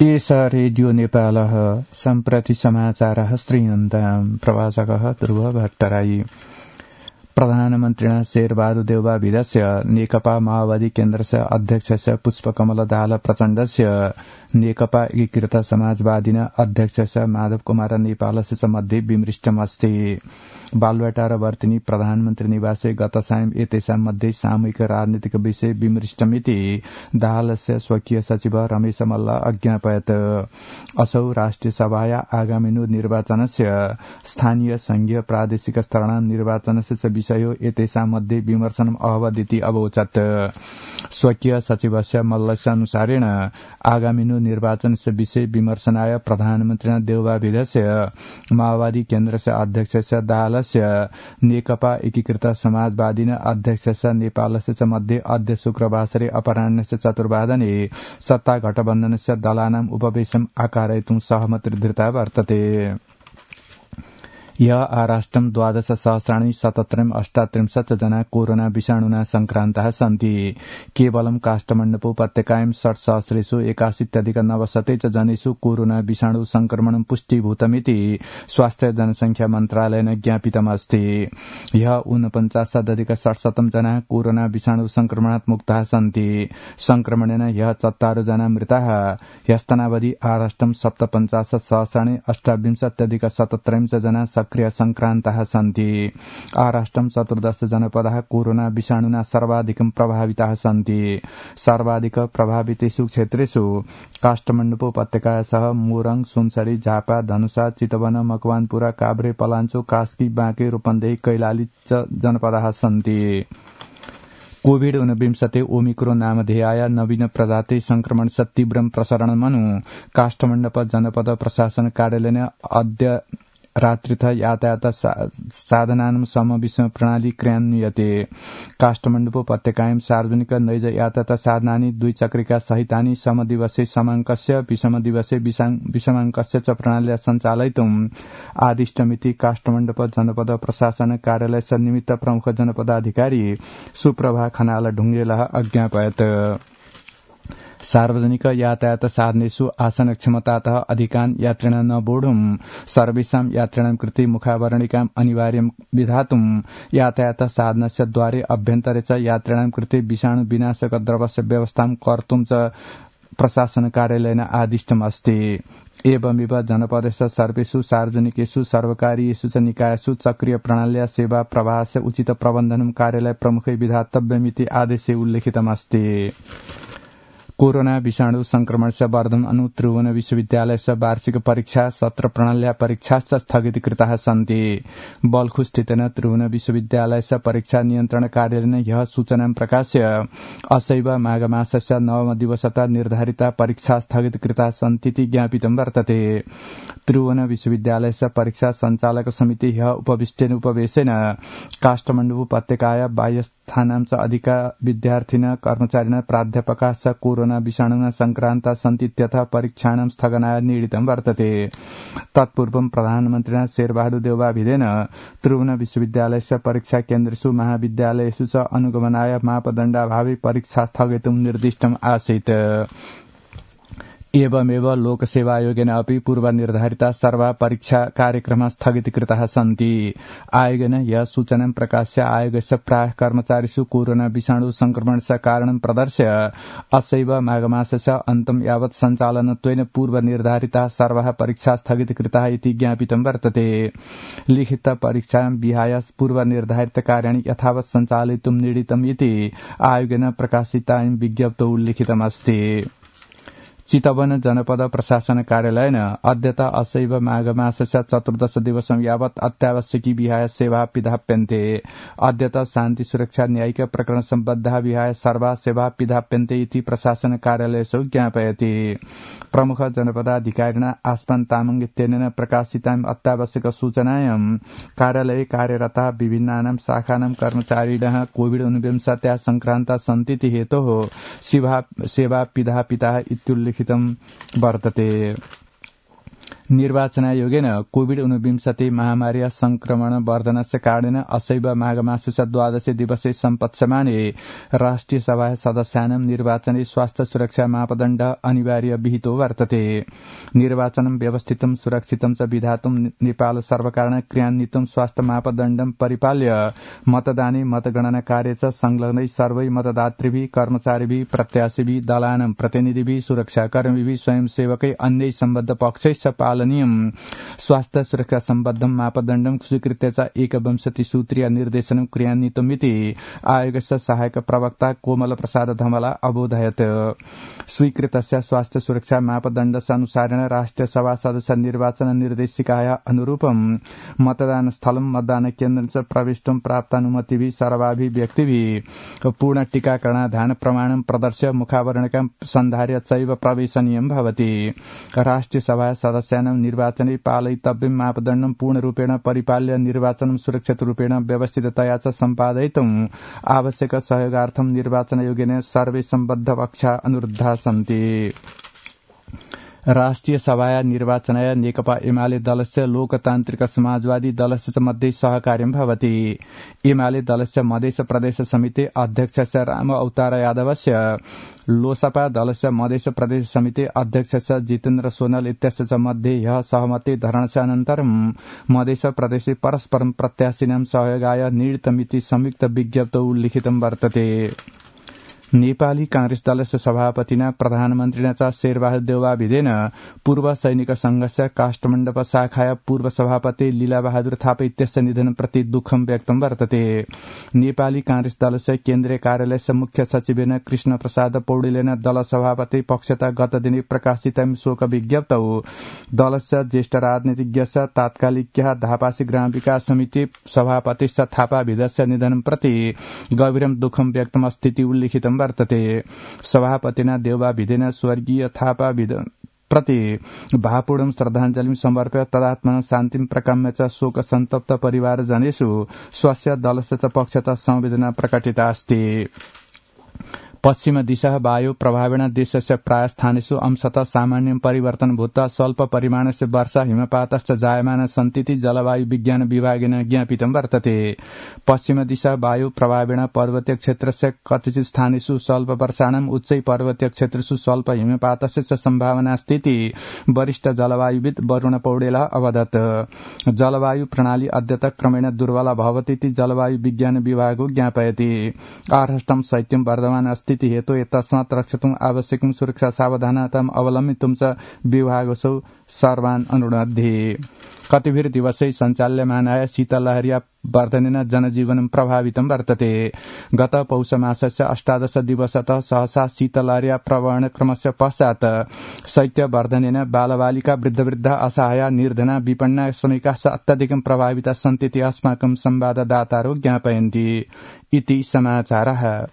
एष रेडियो नेपालः सम्प्रति समाचारः श्रूयन्ताम् प्रवाचकः ध्रुव भट्टराई। प्रधानमन्त्रिणा शेरबहादुर देउवाभिधस्य नेकपा माओवादी केन्द्रस्य अध्यक्षस्य पुष्पकमल दाहाल प्रचण्डस्य नेकपा एकीकृत समाजवादिन अध्यक्षस्य माधव कुमार नेपालस्य च मध्ये विमृष्टमस्ति। बालुवाटार वर्तिनी प्रधानमन्त्री निवासे गत सायं एतेषां मध्ये सामूहिक राजनीतिक विषय विमृष्टमिति दाहालस्य स्वकीय सचिव रमेश मल्ल अज्ञापयत्। असौ राष्ट्रिय सभाया आगामिनु निर्वाचनस्य स्थानीय संघीय प्रादेशिक स्तराणां निर्वाचनस्य च विषयो एतेषां मध्ये विमर्शनम् अभवदिति अवोचत्। स्वकीय सचिवस्य मल्लस्य अनुसारेण आगामिनु निर्वाचनस्य विषय विमर्शनाय प्रधानमन्त्रिणा देउवाभिधस्य माओवादी केन्द्रस्य अध्यक्षस्य दाहालस्य नेकपा एकीकृत समाजवादिन अध्यक्षस्य नेपालस्य च मध्ये अद्य शुक्रवासरे अपराह्नस्य 4 वादने सत्ता गठबन्धनस्य दलानाम् उपवेशनम् आकारयितुं सहमतिर्धृता वर्तते। य आराष्ट्रं 12,738 जना कोरोना विषाणुना संक्रान्ताः सन्ति। केवलं काष्ठमण्डप उपत्यकायां 60,81,900 च जनेषु कोरोना विषाणु संक्रमणं पुष्टिभूतमिति स्वास्थ्य जनसंख्या मन्त्रालयेन ज्ञापितमस्ति। ह्य 49,67 जना कोरोना विषाणु संक्रमणात् मुक्ताः सन्ति। संक्रमणेन ह्य 74 जना मृताः। ह्यस्तनावधि आराष्ट्रं 57,सहस्राणि 28,17 जना सक्रिय संक्रान्ताः सन्ति। आराष्ट्रं 14 जनपदाः कोरोना विषाणुना सर्वाधिकं प्रभाविताः सन्ति। सर्वाधिक प्रभावितेषु क्षेत्रेषु काष्ठमण्डप उपत्यकासह मोरङ, सुनसरी, झापा, धनुषा, चितवन, मकवानपुर, काभ्रे, पलाञ्चोक, कास्की, बाँके, रूपन्देही, कैलाली जनपदाः सन्ति। कोविड-19 ओमिक्रोन नामधेयाय नवीन प्रजाति संक्रमणस्य तीव्रं प्रसरणमनु काष्ठमण्डप जनपद प्रशासन कार्यालयेन अद्य रात्रिथ यातायात साधनानां समविषम प्रणाली क्रियान्वियते। काष्ठमण्डप उपत्यकायां सार्वजनिक नैज यातायात साधनानि द्विचक्रिका सहितानि समदिवसे समाङ्कस्य विषमदिवसे विषमाङ्कस्य च प्रणाल्या सञ्चालयितुम् आदिष्टमिति काष्ठमण्डप जनपद प्रशासन कार्यालयस्य निमित्त प्रमुख जनपदाधिकारी सुप्रभा खनाल ढुङ्गेलः अज्ञापयत्। सार्वजनिक यातायात साधनेषु आसनक्षमतातः अधिकान् यात्रिणां न बोढुम् सर्वेषां यात्रिणां कृते मुखावरणिकाम् अनिवार्यं विधातुम् यातायात साधनस्य द्वारे अभ्यन्तरे च यात्रिणां कृते विषाणु विनाशक द्रवस्य व्यवस्थां कर्तुं च प्रशासन कार्यालयेन आदिष्टमस्ति। एवमेव जनपदस्य सर्वेषु सार्वजनिकेषु सर्वकारीयेषु च निकायेषु चक्रीय प्रणाल्या सेवा प्रवाहस्य उचित प्रबन्धनं कार्यालय प्रमुखै विधातव्यमिति आदेशे उल्लिखितमस्ति। कोरोना विषाणु संक्रमणस्य वर्धन अनु त्रिभुवन विश्वविद्यालयस्य वार्षिक परीक्षा सत्र प्रणाल्या परीक्षाश्च स्थगितीकृताः सन्ति। बल्खुस्थितेन त्रिभुवन विश्वविद्यालयस्य परीक्षा नियन्त्रण कार्यालयेन ह्यः सूचनां प्रकाश्य असैव माघमासस्य 9 दिवसतः निर्धारिता परीक्षा स्थगितीकृताः सन्तीति ज्ञापितं वर्तते। त्रिभुवन विश्वविद्यालयस्य परीक्षा सञ्चालक समिति ह्यः उपविष्टेन उपवेशेन काष्ठमण्डप उपत्यकाया बाह्यस्थानां च अधिका विद्यार्थिनः कर्मचारिणः प्राध्यापकाः च कोरोना विषाणुना संक्रान्ता सन्तीत्यतः परीक्षाणां स्थगनाय निर्णीतं वर्तते। तत्पूर्वं प्रधानमन्त्रिणा शेरबहादुर देउवाभिधेन त्रिभुवन विश्वविद्यालयस्य परीक्षा केन्द्रेषु महाविद्यालयेषु च अनुगमनाय मापदण्डाभावे परीक्षा स्थगयितुं निर्दिष्टम् आसीत्। एवमेव लोकसेवा आयोगेन अपि पूर्वनिर्धारिता सर्वा परीक्षा कार्यक्रमाः स्थगितीकृताः सन्ति। आयोगेन यह सूचनां प्रकाश्य आयोगस्य प्रायः कर्मचारिषु कोरोना विषाणु संक्रमणस्य कारणं प्रदर्श्य असैव माघमासस्य अन्तं यावत् सञ्चालनत्वेन पूर्वनिर्धारिताः सर्वाः परीक्षाः स्थगितीकृताः इति ज्ञापितं वर्तते। लिखित परीक्षां विहाय पूर्वनिर्धारित कार्याणि यथावत् सञ्चालयितुं निर्णीतम् इति आयोगेन प्रकाशितायां विज्ञप्तौ उल्लिखितमस्ति। चितवन जनपद प्रशासन कार्यालयेन अद्यत असैव माघमासस्य 14 दिवसं यावत् अत्यावश्यकी विहाय सेवा पिधाप्यन्ते। अद्यत शान्ति सुरक्षा न्यायिक प्रकरण सम्बद्धाः विहाय सर्वा सेवा पिधाप्यन्ते इति प्रशासन कार्यालयेषु ज्ञापयति। प्रमुख जनपदाधिकारिणा आस्मान तामाङ इत्यनेन प्रकाशितां अत्यावश्यक सूचनायां कार्यालये कार्यरताः विभिन्नानां शाखानां कर्मचारिणः कोविड-19 संक्रान्ता सन्तीति हेतोः सेवा पिधापिताः इत्युल्लिखितं वर्तते। निर्वाचनायोगेन कोविड-19 महामार्या संक्रमण वर्धनस्य कारणेन असैव माघमासस्य द्वादशे दिवसे सम्पत्स्यमाने राष्ट्रिय सभा सदस्यानां निर्वाचने स्वास्थ्य सुरक्षा मापदण्ड अनिवार्य विहितो वर्तते। निर्वाचनं व्यवस्थितं सुरक्षितं च विधातुं नेपाल सर्वकारेण क्रियान्वितं स्वास्थ्य मापदण्डं परिपाल्य मतदाने मतगणना कार्य च संलग्नै सर्वै मतदातृभिः कर्मचारीभिः प्रत्याशीभिः दलानां प्रतिनिधिभिः सुरक्षाकर्मीभिः स्वयंसेवकै अन्यै सम्बद्ध पक्षैश्च पालनीयम् स्वास्थ्य सुरक्षा सम्बद्धं मापदण्डं स्वीकृत्य च 21 सूत्रीय निर्देशनं क्रियान्वितमिति आयोगस्य सहायक प्रवक्ता कोमल प्रसाद धमला अबोधयत्। स्वीकृतस्य स्वास्थ्य सुरक्षा मापदण्डस्य अनुसारेण राष्ट्रिय सभा सदस्य निर्वाचन निर्देशिकाया अनुरूपं मतदान स्थलं मतदान केन्द्रं च प्रविष्टुं प्राप्तानुमतिभिः सर्वाभिः व्यक्तिभिः पूर्ण टीकाकरणाधान प्रमाणं प्रदर्श्य मुखावरणकं सन्धार्य चैव प्रवेशनीयं भवति। राष्ट्रिय सभा सदस्यानां निर्वाचने पालयितव्यं मापदण्डं पूर्णरूपेण परिपाल्य निर्वाचनं सुरक्षितरूपेण व्यवस्थिततया च सम्पादयितुं आवश्यक सहयोगार्थं निर्वाचनायोगेन सर्वे सम्बद्ध पक्षा अनुरुद्धा सन्ति। राष्ट्रिय सभाया निर्वाचनाय नेकपा एमाले दलस्य लोकतान्त्रिक समाजवादी दलस्य च मध्ये सहकार्यं भवति। एमाले दलस्य मधेस प्रदेश समिति अध्यक्षस्य राम अवतार यादवस्य लोसपा दलस्य मधेस प्रदेश समिति अध्यक्षस्य जितेन्द्र सोनल इत्यस्य च मध्ये ह्यः सहमति धरणस्य अनन्तरं मधेस प्रदेशे परस्परं प्रत्याशिनां सहयोगाय निर्णीतमिति संयुक्त विज्ञप्तौ उल्लिखितं वर्तते। नेपाली कांग्रेस दलस्य सभापतिना प्रधानमन्त्रिणा च शेरबहादुर देउवाभिदेन पूर्व सैनिक संघस्य काष्ठमण्डप शाखाया पूर्व सभापति लीलाबहादुर थापा इत्यस्य निधनप्रति दुःखं व्यक्तं वर्तते। नेपाली कांग्रेस दलस्य केन्द्रीय कार्यालयस्य मुख्य सचिवेन कृष्ण प्रसाद पौडेलेन दल सभापति पक्षता गत दिने प्रकाशितं शोक विज्ञप्तौ दलस्य ज्येष्ठ राजनीतिज्ञस्य तात्कालिक्यः धापासी ग्राम विकास समिति सभापति थापाभिदस्य निधनप्रति गभीरं दुःखं व्यक्तं स्थिति उल्लिखितं वर्तते। सभापतिना देउवाभिदेन स्वर्गीय थापा प्रति भावपूर्ण श्रद्धाञ्जलिं समर्प्य तदात्मना शान्तिं प्रकाम्य च शोक सन्तप्त परिवारजनेषु स्वस्य दलस्य च पक्षतः संवेदना प्रकटिता अस्ति। पश्चिम दिशा वायु प्रभावेण देशस्य प्राय स्थानेषु अंशतः सामान्यं परिवर्तन भूत्वा स्वल्प परिमाणस्य वर्षा हिमपातश्च जायमान सन्तीति जलवायु विज्ञान विभागेन ज्ञापितं वर्तते। पश्चिम दिशा वायु प्रभावेण पर्वतीय क्षेत्रस्य कतिचित् स्थानेषु स्वल्प वर्षाणां उच्चै पर्वतीय क्षेत्रेषु स्वल्प हिमपातस्य च सम्भावना अस्ति वरिष्ठ जलवायुविद वरुण पौडेलः अवदत्। जलवायु प्रणाली अद्यतः क्रमेण दुर्बला भवतीति जलवायु विज्ञान विभागो ज्ञापयति। आर्हष्टं शैत्यं वर्धमान अस्ति हेतु तस्मात् रक्षितुम् आवश्यकं सुरक्षा सावधानताम् अवलम्बितुं च विभागसौ सर्वान् अनुनद्ति। कतिभिर दिवसै सञ्चाल्यमानाय शीतलहर्या वर्धनेन जनजीवनं प्रभावितं वर्तते। गत पौष मासस्य 18 दिवसतः सहसा शीतलहर्या प्रवहणक्रमस्य पश्चात् शैत्यवर्धनेन बालबालिका वृद्धवृद्धा असहाया निर्धना विपन्ना श्रमिकाः अत्यधिकं प्रभाविताः सन्तीति अस्माकं संवाददातारो ज्ञापयन्ति। इति समाचारः।